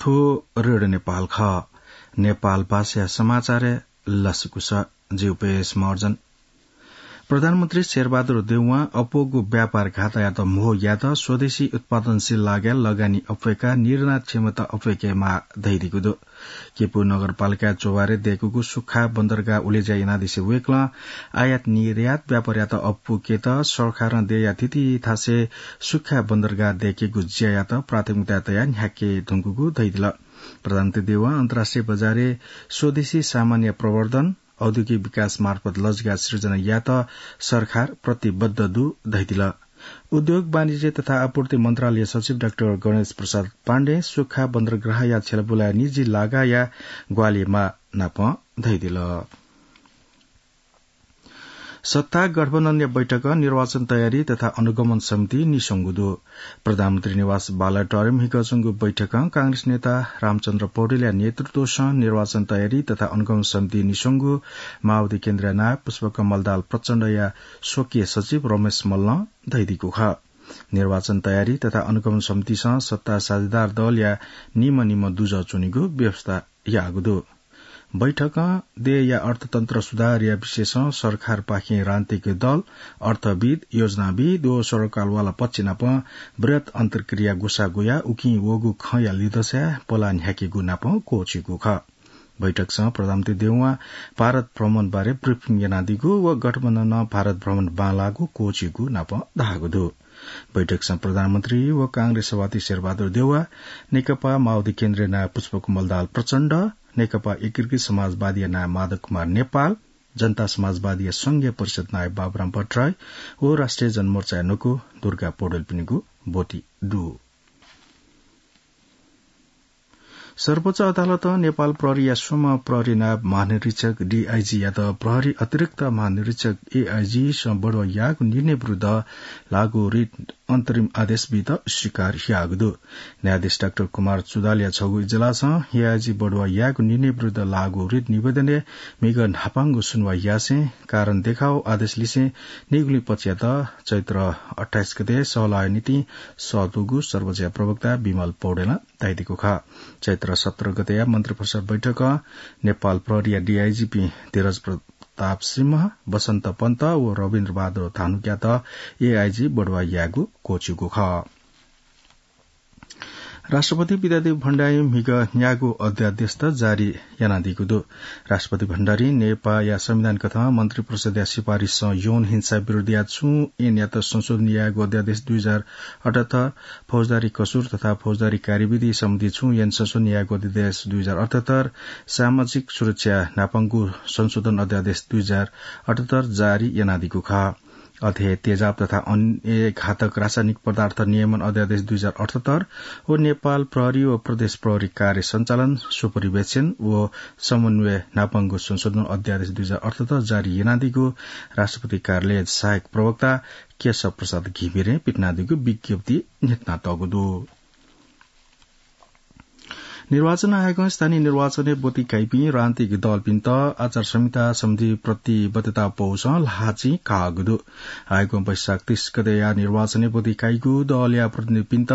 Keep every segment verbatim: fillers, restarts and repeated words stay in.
थ्व रेडियो नेपाल खः। नेपाल भाषाया समाचारय् लसकुस। जि उपेश महर्जन। प्रधानमन्त्री शेरबहादुर देउवां अप्वःगु व्यापार घाटायात म्हो यायेत स्वदेशी उत्पादनशील लागाय् लगानी अप्वय्‌काः निर्यात क्षमता अप्वय्‌केमाः धयादीगु दु। केपु नगरपालिकाय् च्वभारय् दय्‌कूगु सुख्खा बन्दरगाह उलेज्या यानादिसे वय्‌कलं आयात निर्यात व्यापारयात अप्वय्‌केत सरकारं देय्‌या थीथी थासय् सुख्खा बन्दरगाह दय्‌केगु ज्यायात प्राथमिकता तयाः न्ह्याके धुंकूगु धयादिल। प्रधानमन्त्री देउवां अन्तर्राष्ट्रिय बजारय् स्वदेशी सामानया प्रवर्धन, औद्योगिक विकास मार्फत लजिका सिर्जना यायेत सरकार प्रतिबद्ध दु धयादिल। उद्योग, वाणिज्य तथा आपूर्ति मन्त्रालय सचिव डाक्टर गणेश प्रसाद पाण्डें सुख्खा बन्दरगाहया छ्यलाबुलाय् निजी लागाया ग्वाहालि यायेमाः नापं धयादिल। सत्ता गठबन्धनया बैठकं निर्वाचन तयारी तथा अनुगमन समिति निस्वंगु दु। प्रधानमन्त्री निवास बालुवाटारय् म्हिगः च्वंगु बैठकं कांग्रेस नेता रामचन्द्र पौडेलया नेतृत्वसं निर्वाचन तयारी तथा अनुगमन समिति निस्वंगु माओवादी केन्द्रया नायः पुष्पकमल दाहाल प्रचण्डया स्वकीय सचिव रमेश मल्लं धयादीगु खः। निर्वाचन तयारी तथा अनुगमन समितिसं सत्ता साझेदार दलया निम्ह निम्ह दुजः च्वनेगु व्यवस्था याःगु दु। बैठकं देय्‌या अर्थतन्त्र सुधारया विषयसं सरकारपाखें राजनीतिक दल, अर्थविद्, योजनाविद् व सरकारवाला पक्ष नाप बृहत् अन्तर्क्रिया ग्वसाः ग्वयाः उकिं वःगु खँया लिधंसाय् पलाः न्ह्याकेगु नाप क्वःछिइगु खः। बैठकसं प्रधानमन्त्री देउवां भारत भ्रमणबारे ब्रिफिङ यानादीगु व गठबन्धनं भारत भ्रमण बांलाःगु क्वःछिइगु नाप धाःगु दु। बैठकसं प्रधानमन्त्री व कांग्रेस सभापति शेरबहादुर देउवा, नेकपा माओवादी केन्द्रया नायः पुष्पकमल दाहाल प्रचण्ड, नेकपा एकीकृत समाजवादीया नायः माधव कुमार नेपाल, जनता समाजवादीया संघीय परिषद नायः बाबुराम भट्टराई व राष्ट्रिय जनमोर्चाया न्वकू दुर्गा पौडेलपिनिगु ब्वति दु। सर्वोच्च अदालतं नेपाल प्रहरीया स्वम्ह प्रहरी नायब महानिरीक्षक, डिआइजीयात प्रहरी अतिरिक्त महानिरीक्षक, एआइजीसं बढुवा याःगु निर्णय विरुद्ध लागू रिट अन्तरिम आदेश बीत स्वीकार याःगु दु। न्यायाधीश डाक्टर कुमार चुदालया छगू इजलासं एआइजी बढुवा याःगु निर्णय विरुद्ध लागू रिट निवेदनय् म्हिगः न्हापांगु सुनुवाइ यासें कारण देखाउ आदेश लिसें निगुलिं पक्षयात चैत्र अट्ठाइस गते सहलहया निंतिं सःतूगु सर्वोच्चया प्रवक्ता विमल पौडेलं धयादीगु खः। चैत्र सत्र गतेया मन्त्रिपरिषद बैठकं नेपाल प्रहरीया डिआइजीपिं धीरज प्रताप सिंह, बसन्त पन्त व रविन्द्र बहादुर धानुकयात एआइजी बढुवा यायेगु क्वःछिइगु खः। राष्ट्रपति विद्यादेवी भण्डारीं म्हिगः न्यागू अध्यादेशत जारी यानादीगु दु। राष्ट्रपति भण्डारीं नेपाःया संविधान कथं मन्त्रिपरिषदया सिफारिससं यौन हिंसा विरुद्धया छुं ऐनयात संशोधन यायेगु अध्यादेश दुई हजार अठहत्तर, फौजदारी कसुर तथा फौजदारी कार्यविधि सम्बन्धी छुं ऐन संशोधन यायेगु अध्यादेश दुई हजार अठहत्तर, सामाजिक सुरक्षा न्हापांगु संशोधन अध्यादेश दुई हजार अठहत्तर जारी यानादीगु खः। अथे तेजाब तथा अन्य घातक रासायनिक पदार्थ नियमन अध्यादेश दुई हजार अठहत्तर व नेपाल प्रहरी व प्रदेश प्रहरी कार्य सञ्चालन, सुपरिवेक्षण व समन्वय न्हापांगु संशोधन अध्यादेश दुई हजार अठहत्तर जारी यानादीगु राष्ट्रपति कार्यालय सहायक प्रवक्ता केशव प्रसाद घिमिरें पिथनादीगु विज्ञप्ति न्ह्यथनातःगु दु। निर्वाचन आयोगं स्थानीय निर्वाचनय् ब्वति काइपिं राजनीतिक दलपिन्त आचार संहिता सम्बन्धी प्रतिबद्धता पौसं ल्हाःचिं काःगु दु। आयोगं वैशाख तीस गतेया निर्वाचनय् ब्वति काइगु दलया प्रतिनिधिपिन्त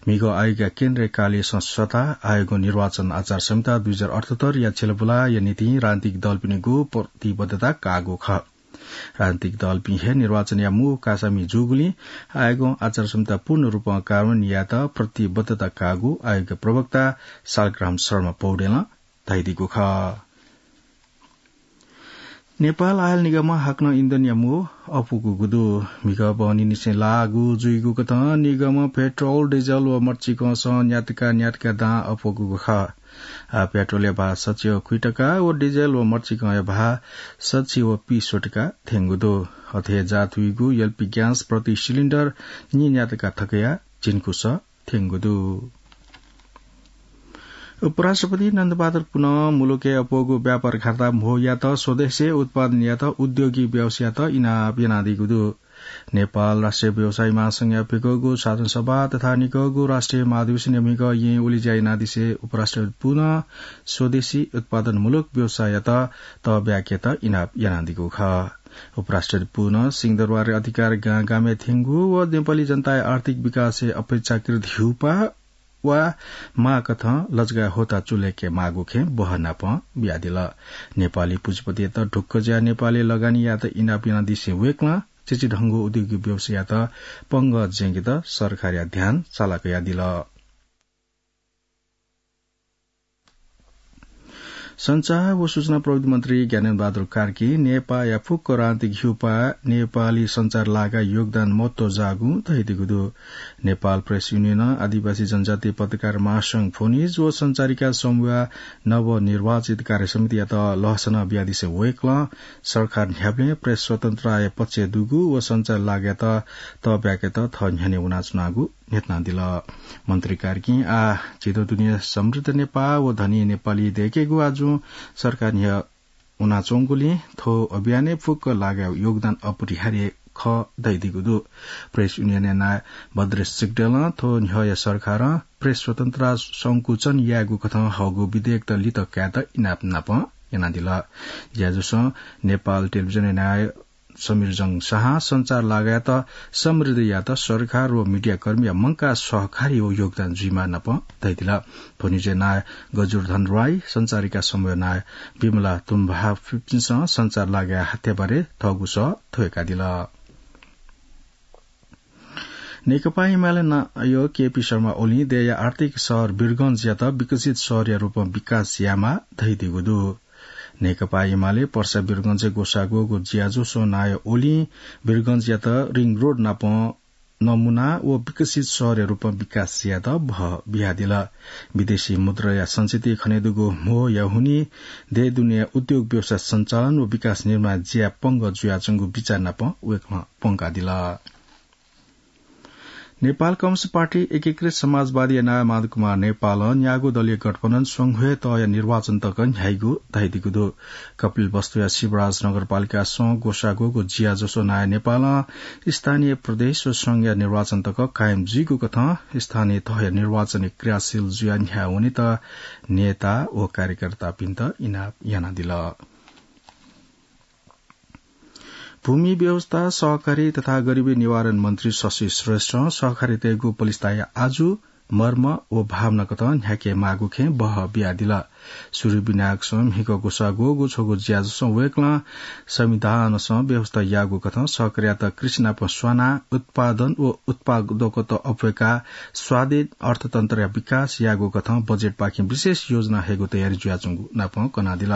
म्हिगः आयोगया केन्द्रीय कार्यालयसं सःताः आयोगं निर्वाचन आचार संहिता दुई हजार अठहत्तरया छ्यलाबुलाया निंतिं राजनीतिक दलपिनिगु प्रतिबद्धता काःगु खः। राजनीतिक दलपिं हे निर्वाचनया मू कासामि जूगुलिं आयोगं आचार संहिता पूर्ण रूपं कार्यान्वयन यायेत प्रतिबद्धता काःगु आयोगया प्रवक्ता शालग्राम शर्मा पौडेलं धयादीगु खः। नेपाल आयल निगमं हाकनं इन्धनया मू अपुकूगु दु। म्हिगः बहनीनिसें लाःगु जुइगु कथं निगमं पेट्रोल, डिजल व मरिचिकंसं न्यातका न्यातका दां अपुकूगु खः। आः पेट्रोलया भाः सछि व खुइटका व डिजल व मरिचिकंया भाः सछि व पीस्वटका थ्यंगु दु। अथे जात हुइगु एलपी ग्यास प्रति सिलिन्डर नीन्यातका थकया झिंकुस थ्यंगु दु। उपराष्ट्रपति नन्दबहादुर पुनं मुलुकय् अप्वःगु व्यापार घाटा म्हो यायेत स्वदेशय् उत्पादन यायेत उद्योगी व्यवसायीयात इनाप यानादीगु दु। नेपाल राष्ट्रिय व्यवसायी महासंघया प्यकःगु साधारण सभा तथा निकःगु राष्ट्रिय महाधिवेशनया म्हिगः येँ उलेज्या यानादिसे उपराष्ट्रपति पुनं स्वदेशी उत्पादनमूलक व्यवसाययात तःब्याकेत इनाप यानादीगु खः। उपराष्ट्रपति पुनं सिंहदरबारय् अधिकार गां गामय् थ्यंगु व नेपाली जनताया आर्थिक विकासय् अपेक्षाकृत ह्यूपाः वा माःकथं लजगाः होता चुलय्के माःगु खँय् बहःनापं बियादिल। नेपाली पुँजीपतियात ढुक्क जुयाः नेपालय् लगानी यायेत इनाप यानादिसें वय्कलं चिचिधंगु उद्योगी व्यवसाययात पंगः ज्यंकेत सरकारया ध्यान चाला कयादिल। सञ्चार व सूचना प्रविधि मन्त्री ज्ञानेन्द्र बहादुर कार्कीं नेपाःया फुक्क राजनीतिक ह्यूपाः नेपाली सञ्चार लागाय् योगदान महत्व जाःगु धयादीगु दु। नेपाल प्रेस युनियनं आदिवासी जनजाति पत्रकार महासंघ फोनिज व सञ्चारिका समूहया नवनिर्वाचित कार्यसमितियात लसना बियादिसें वय्कलं सरकार न्ह्याबलें प्रेस स्वतन्त्रताया पक्षय् दुगु व सञ्चार लागाय्त तःब्याकेत थः न्ह्यःने वनाच्वनागु न्ह्यथनादिल। मन्त्री कार्कीं आः झीत दुने समृद्ध नेपाः व धनी नेपाली दय्केगु आजुं सरकार न्ह्यः वनाच्वंगुलिं थ्व अभियानय् फुक्क लागाय् योगदान अपरिहार्य खः धयादीगु दु। प्रेस युनियनया नायः भद्रेश सिग्देलं थ्व न्ह्यःया सरकारं प्रेस स्वतन्त्रता संकुचन यायेगु कथं हःगु विधेयकत लित कायेत इनाप नापं यानादिल। ज्याझ्वलं नेपाल टेलिभिजनया नायः समीर जंग शाहं सञ्चार लागाय्त समृद्ध यायेत सरकार व मिडियाकर्मीया मंकाः सहकारी व योगदान जुइमाः नापं धयादिल। फोनिजया नायः गजुरधन राई, सञ्चारिका समूहया नायः विमला तुम्भा फुपिन्सं सञ्चार लागाय् हात्याबारे थःगु सः थ्वय्कादिल। नेकपा एमाले नायः केपी शर्मा ओलीं देय्या आर्थिक शहर वीरगंजयात विकसित शहरया रूपमा विकास यायेमाः धयादीगु दु। नेकपा एमाले पर्सा वीरगंजय् ग्वसाः ग्वःगु ज्याझ्वलय् नायः ओलीं वीरगंजयात रिङ रोड नापं नमुना व विकसित शहरया रूपमा विकास यायेत बहः बियादिल। विदेशी मुद्राया संचिति खनेदुगु म्होया हुनिं देय् दुनेया उद्योग व्यवसाय सञ्चालन व विकास निर्माण ज्या पंगः जुयाच्वंगु बिचाः नापं वय्कलं पंकादिल। नेपाल कम्युनिस्ट पार्टी एकीकृत समाजवादीया नायः माधव कुमार नेपालं न्यागू दलीय गठबन्धन स्वंगू हे तहया निर्वाचन तक न्ह्याइगु धयादीगु दु। कपिलवस्तुया शिवराज नगरपालिकासं ग्वसाः ग्वःगु ज्याझ्वलय् नायः नेपालं स्थानीय प्रदेश व संघया निर्वाचन तक कायम जुइगु कथं स्थानीय तहया निर्वाचनय् क्रियाशील जुयाः न्ह्याः वनेत नेता व कार्यकर्तापिन्त इनाप यानादिल। भूमि व्यवस्था, सहकारी तथा गरिबी निवारण मन्त्री शशि श्रेष्ठं सहकारीतय्गु पलिस्ताया आजु, मर्म व भावना कथं न्ह्याके माःगु खँय् बहः बियादिल। सूर्य विनायकसं म्हिगः ग्वसाः ग्वःगु छगू ज्याझ्वलय् वय्कलं संविधानसं व्यवस्था याःगु कथं सहकारीयात कृषि नाप स्वानाः उत्पादन व उत्पादकता अप्वय्काः स्वाधीन अर्थतन्त्रया विकास याःगु कथं बजेटपाखें विशेष योजना हयेगु तयारी जुयाच्वंगु नापं कनादिल।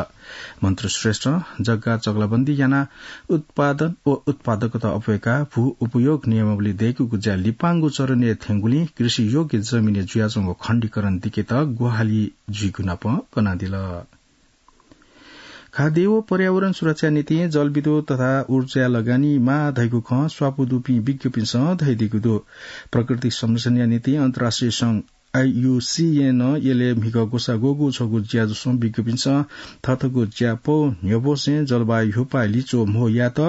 मन्त्री श्रेष्ठं जग्गा चकलाबन्दी यानाः उत्पादन व उत्पादकता अप्वय्काः भू उपयोग नियमावली दय्कूगु ज्या लिपांगु चरणय् थ्यंगुलिं कृषि योग्य जमिनय् जुयाच्वंगु खण्डीकरण दिकेत ग्वाहालि जुइगु नापं कनादिल। खाद्य व पर्यावरण सुरक्षा निंतिं जलविद्युत तथा ऊर्जाय् लगानी माः धइगु खँ स्वापू दुपिं विज्ञपिन्सं धयादीगु दु। प्रकृति संरक्षणया निंतिं अन्तर्राष्ट्रिय संघ आइयुसिएनं यलय् म्हिगः ग्वसाः ग्वःगु छगू ज्याझ्वलय् विज्ञपिन्सं थःथःगु ज्यापौ न्ह्यब्वसें जलवायु ह्यूपाः लिच्वः म्हो यायेत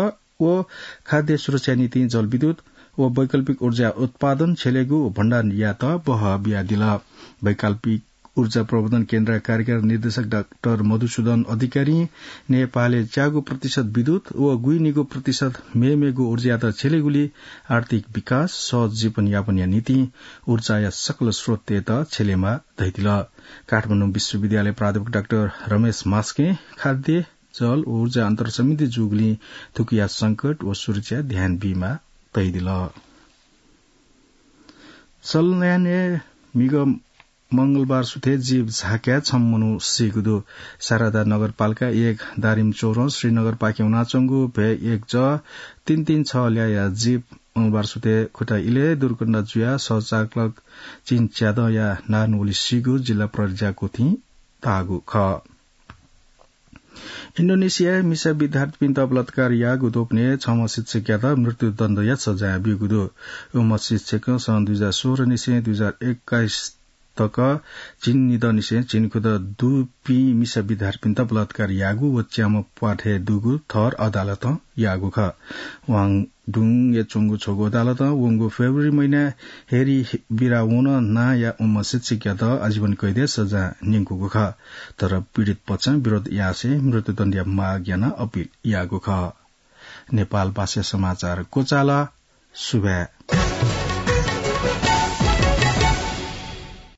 व खाद्य सुरक्षा निंतिं जलविद्युत व वैकल्पिक ऊर्जा उत्पादन, छ्यलेगु व भण्डारण यायेत बहः बियादिल। वैकल्पिक ऊर्जा प्रवर्धन केन्द्रया कार्यकारी निर्देशक डाक्टर मधुसूदन अधिकारीं नेपालय् च्यागू प्रतिशत विद्युत व गुइनिगू प्रतिशत मेमेगु ऊर्जायात छ्यलेगुलिं आर्थिक विकास, सहज जीवनयापनया निंतिं ऊर्जाया सकल स्रोततय्त छ्यलेमाः धयादिल। काठमाडौं विश्वविद्यालय प्राध्यापक डाक्टर रमेश मास्कें खाद्य, जल व ऊर्जा अन्तरसम्बन्धी जूगुलिं थुकिया संकट व सुरक्षा ध्यान बीमाः धयादिल। सल्यानय् म्हिगः मंगलबार सुथय् जीप झाँक्याय् छम्ह मनू सीगु दु। शारदा नगरपालिका एक दारिम चौरं श्रीनगरपाखें वनाच्वंगु भ्यः एक ज तीन तीन छ ल्याःया जीप मंगलबार सुथय् खुटा इलय् दुर्घटना जुयाः सहचालक चिन च्यादँया नारायण ओली सीगु जिल्ला प्रहरीया गुथिं धाःगु खः। इन्डोनेसियाय् मिसा विद्यार्थीपिन्त बलात्कार याःगु द्वपनय् छम्ह शिक्षकयात मृत्युदण्डया सजाय ब्यूगु दु। उम्ह शिक्षकं सन् दुई हजार सोह्र निसें दुई हजार एक्काइस तक झिंनिदँ निसें झिंखुदँ दुपिं मिसा विद्यार्थीपिन्त बलात्कार याःगु व च्याम्ह प्वाथय् दुगु थर अदालतं याःगु खः। वाङ डुङय् च्वंगु छगू अदालतं वंगु फेब्रुअरी महिनाय् हेरी बिरावोन नांया उम्ह शिक्षकयात आजीवन कैदया सजाय न्यंकूगु खः। तर पीडित पक्षं विरोध यासें मृत्युदण्डया माग यानाः अपिल याःगु खः। नेपालभाषा समाचार क्वचाल। सुभाय्।